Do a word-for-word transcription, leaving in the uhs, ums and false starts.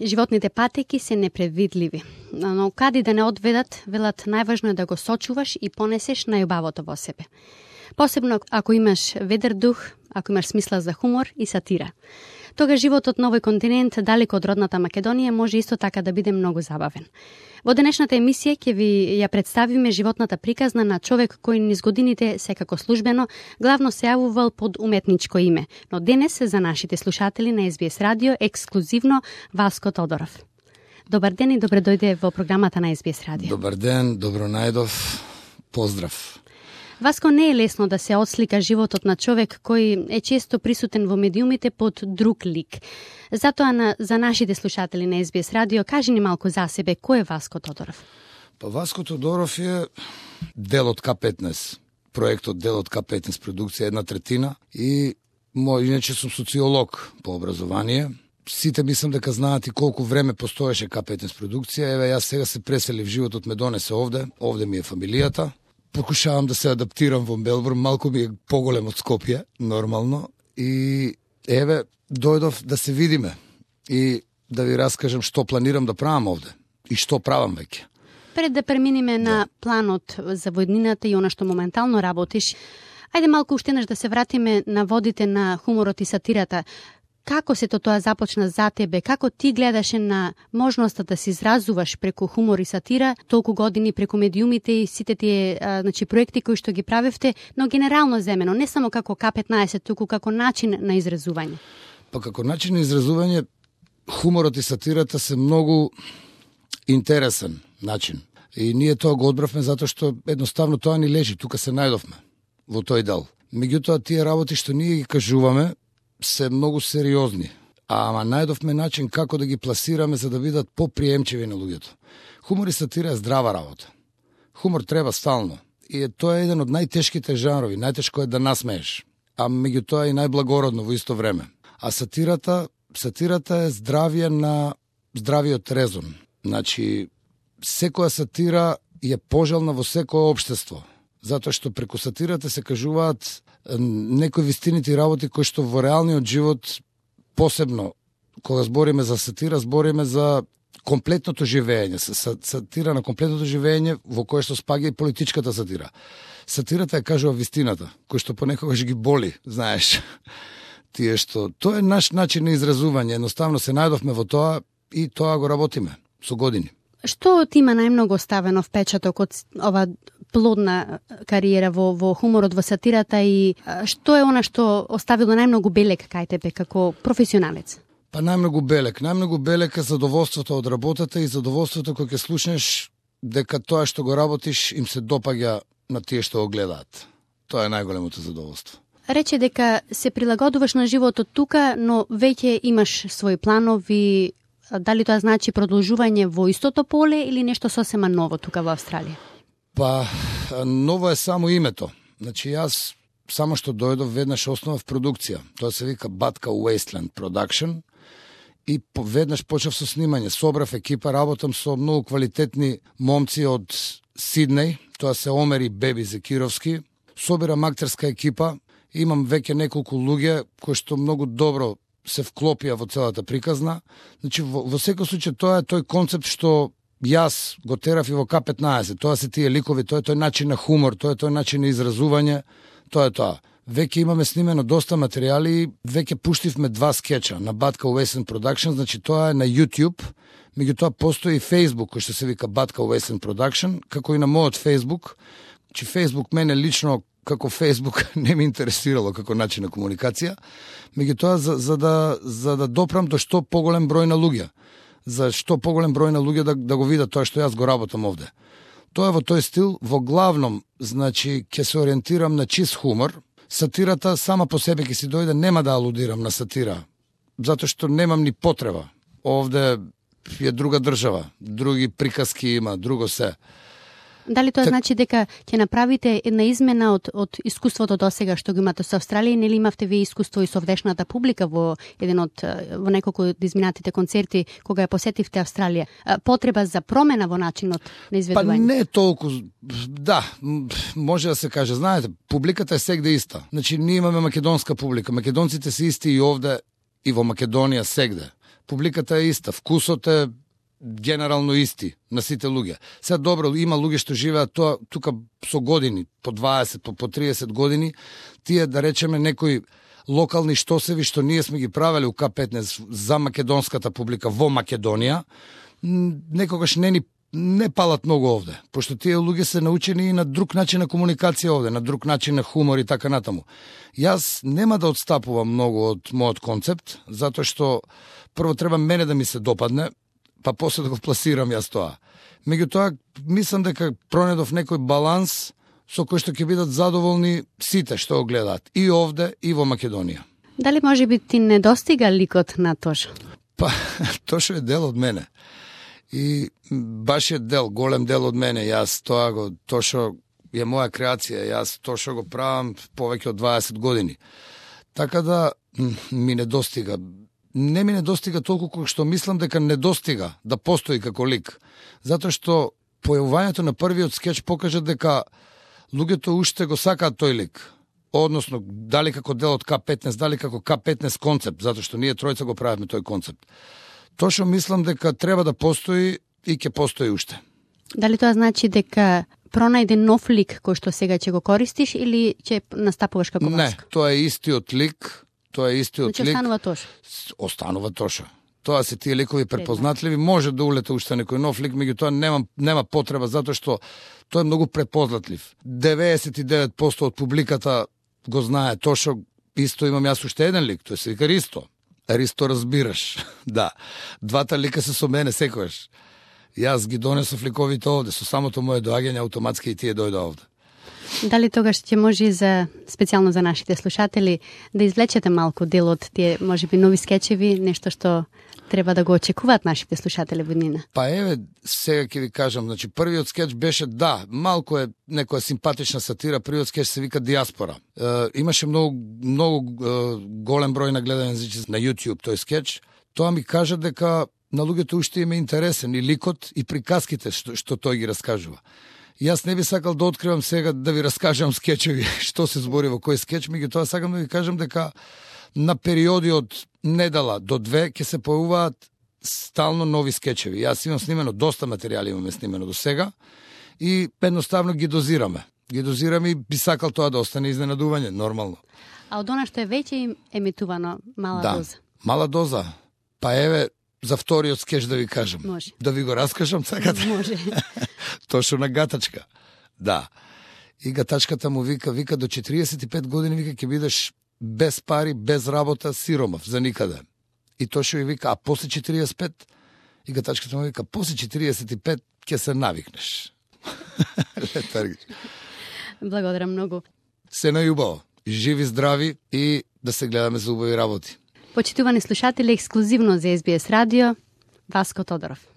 Животните патеки се непредвидливи, но кади да не одведат, велат најважно е да го сочуваш и понесеш најубавото во себе. Посебно ако имаш ведар дух, ако имаш смисла за хумор и сатира. Тога животот на овој континент, далеко од родната Македонија, може исто така да биде многу забавен. Во денешната емисија ќе ви ја представиме животната приказна на човек кој низ годините, секако службено, главно се јавувал под уметничко име, но денес за нашите слушатели на Ес Би Ес Радио ексклузивно Васко Тодоров. Добар ден и добре дојде во програмата на Ес Би Ес Радио. Добар ден, добро најдов, поздрав. Васко, не е лесно да се отслика животот на човек кој е често присутен во медиумите под друг лик. Затоа на, за нашите слушатели на Ес Би Ес Радио, кажи ни малку за себе, кој е Васко Тодоров? Па Васко Тодоров е дел од К петнаесет, проектот дел од К петнаесет продукција, една третина, и мој, иначе сум социолог по образование. Сите мислам дека знаат и колку време постоеше К петнаесет продукција. Еве, јас сега се преселив, животот ме донесе овде, овде ми е фамилијата. Покушавам да се адаптирам во Мелбурн, малку ми е поголем од Скопје, нормално, и еве, дојдов да се видиме и да ви раскажам што планирам да правам овде и што правам веќе. Пред да преминиме да. на планот за војнината и она што моментално работиш, ајде малку уште еднаш да се вратиме на водите на хуморот и сатирата. Како се тоа започна за тебе? Како ти гледаше на можноста да се изразуваш преку хумор и сатира толку години преку медиумите и сите тие а, значи, проекти кои што ги правевте, но генерално земено, не само како К петнаесет, туку како начин на изразување? Па како начин на изразување, хуморот и сатирата се многу интересен начин. И ние тоа го одбравме затоа што едноставно тоа ни лежи, тука се најдовме во тој дел. Меѓутоа тие работи што ние ги кажуваме се многу сериозни, ама најдовме начин како да ги пласираме за да бидат поприемчиви на луѓето. Хумор и сатира е здрава работа. Хумор треба стално и е, тоа е еден од најтешките жанрови, најтешко е да насмееш, а меѓутоа и најблагородно во исто време. А сатирата, сатирата е здравие на здравиот резон. Значи, секоја сатира е пожелна во секое општество, затоа што преку сатирата се кажуваат некои вистинити работи кои што во реалниот живот, посебно кога збориме за сатира, збориме за комплетното живење, сатира на комплетното живење во кое што спаѓа и политичката сатира. Сатирата ја кажува вистината, кој што понекогаш ги боли, знаеш. Тие што тоа е наш начин на изразување, едноставно се најдовме во тоа и тоа го работиме со години. Што ти има најмногу оставено впечаток од ова плодна кариера во, во хуморот, во сатирата, и што е она што оставило најмногу белек кај тебе како професионалец? Па најмногу белек. Најмногу белек е задоволството од работата и задоволството кога ќе слушнеш дека тоа што го работиш им се допаѓа на тие што го гледаат. Тоа е најголемото задоволство. Рече дека се прилагодуваш на животот тука, но веќе имаш своји планови. Дали тоа значи продолжување во истото поле или нешто сосема ново тука во Австралија? Па, ново е само името. Значи, јас само што дојдов веднаш основав продукција. Тоа се вика Батка Wasteland Production и веднаш почнав со снимање. Собрав екипа, работам со многу квалитетни момци од Сиднеј, тоа се Омер и Беби Зекировски. Собирам актерска екипа, имам веќе неколку луѓе кои што многу добро се вклопија во целата приказна. Значи, во, во секој случај тоа е тој концепт што јас го терав и во К петнаесет. Тоа се тие ликови, тоа е тој начин на хумор, тоа е тој начин на изразување, тоа е тоа. Веќе имаме снимено доста материјали и веќе пуштивме два скеча на Батка Wasteland Production, значи тоа е на YouTube, меѓутоа постои и Facebook кој што се вика Батка Wasteland Production, како и на мојот Facebook. Значи Facebook мене лично како Facebook не ми интересирало како начин на комуникација, меѓутоа за, за да за да допрам до што поголем број на луѓе, за што поголем број на луѓе да, да го видат тоа што јас го работам овде. Тоа е во тој стил, во главном, значи, ќе се ориентирам на чист хумор. Сатирата сама по себе ќе си дојде, нема да алудирам на сатира, затоа што немам ни потреба. Овде е друга држава, други приказки има, друго се. Дали тоа так... значи дека ќе направите една измена од, од искуството досега што го имате со Австралија, нели имавте вие искуство и со овдешната публика во еден од во неколку од изминатите концерти кога ја посетивте Австралија? Потреба за промена во начинот на изведување? Па не толку, да, може да се каже, знаете, публиката е сегде иста. Значи ние имаме македонска публика, македонците се исти и овде и во Македонија сегде. Публиката е иста, вкусот е генерално исти на сите луѓе. Сега добро, има луѓе што живеат тоа тука со години, по дваесет, по, по триесет години, тие да речеме некои локални штосеви што ние сме ги правеле у К петнаесет за македонската публика во Македонија, некогаш не ни не палат многу овде, пошто тие луѓе се научени и на друг начин на комуникација овде, на друг начин на хумор и така натаму. Јас нема да отстапувам многу од мојот концепт, затоа што прво треба мене да ми се допадне, па после да го пласирам јас тоа. Меѓутоа, мислам дека пронедов некој баланс со кој што ќе бидат задоволни сите што го гледаат, и овде, и во Македонија. Дали може би ти не достига ликот на Тошо? Па, Тошо е дел од мене. И баш е дел, голем дел од мене. Јас тоа го, Тошо е моја креација, јас Тошо го правам повеќе од дваесет години. Така да ми не достига. Не ми не достига толку колку што мислам дека не достига да постои како лик. Затоа што појавувањето на првиот скеч покажа дека луѓето уште го сакаат тој лик. Односно, дали како дел од К петнаесет, дали како К петнаесет концепт, затоа што ние тројца го правиме тој концепт. Тошо мислам дека треба да постои и ќе постои уште. Дали тоа значи дека пронајде нов лик кој што сега ќе го користиш или ќе настапуваш како Не, Васко? тоа е истиот лик, тоа е истиот Значи лик. останува Тошо. Останува Тошо. Тоа се тие ликови препознатливи, може да улета уште некој нов лик, меѓутоа нема нема потреба затоа што тој е многу препознатлив. деветдесет и девет проценти од публиката го знае Тошо. Исто имам јас уште еден лик, тој се вика Ристо. Ристо разбираш. Да. Двата лика се со мене секогаш. Јас ги донесов ликовите овде, со самото моje доаѓање автоматски и тие дојде овде. Дали тогаш ќе може за специјално за нашите слушатели да извлечете малку дел од тие можеби нови скечеви, нешто што треба да го очекуваат нашите слушатели во иднина? Па еве, сега ќе ви кажам, значи првиот скеч беше, да, малку е некоја симпатична сатира, првиот скеч се вика Диаспора. Е, имаше многу многу е, голем број на гледање на YouTube тој скеч. Тоа ми кажа дека на луѓето уште им е интересен и ликот и приказките што, што тој ги раскажува. Јас не би сакал да откривам сега да ви раскажам скечеви што се збори во кој скеч, меѓутоа сакам да ви кажам дека на периоди од недела до две ќе се појавуваат стално нови скечеви. Јас имам снимено доста материјали, имаме снимено до сега и едноставно ги дозираме. Ги дозираме и би сакал тоа да остане изненадување, нормално. А од она што е веќе емитувано, мала да, доза? Мала доза. Па еве, за вториот скеч да ви кажам. Може. Да ви го раскажам сакате? Може. Тошо на Гатачка. Да. И Гатачката му вика, вика до четириесет и пет години, вика, ќе бидеш без пари, без работа, сиромав, за никаде. И Тошо и вика, а после четириесет и пет? И Гатачката му вика, после четириесет и пет ќе се навикнеш. Благодарам многу. Се најубаво. Живи, здрави и да се гледаме за убави работи. Почитувани слушатели, ексклузивно за Ес Би Ес Радио, Васко Тодоров.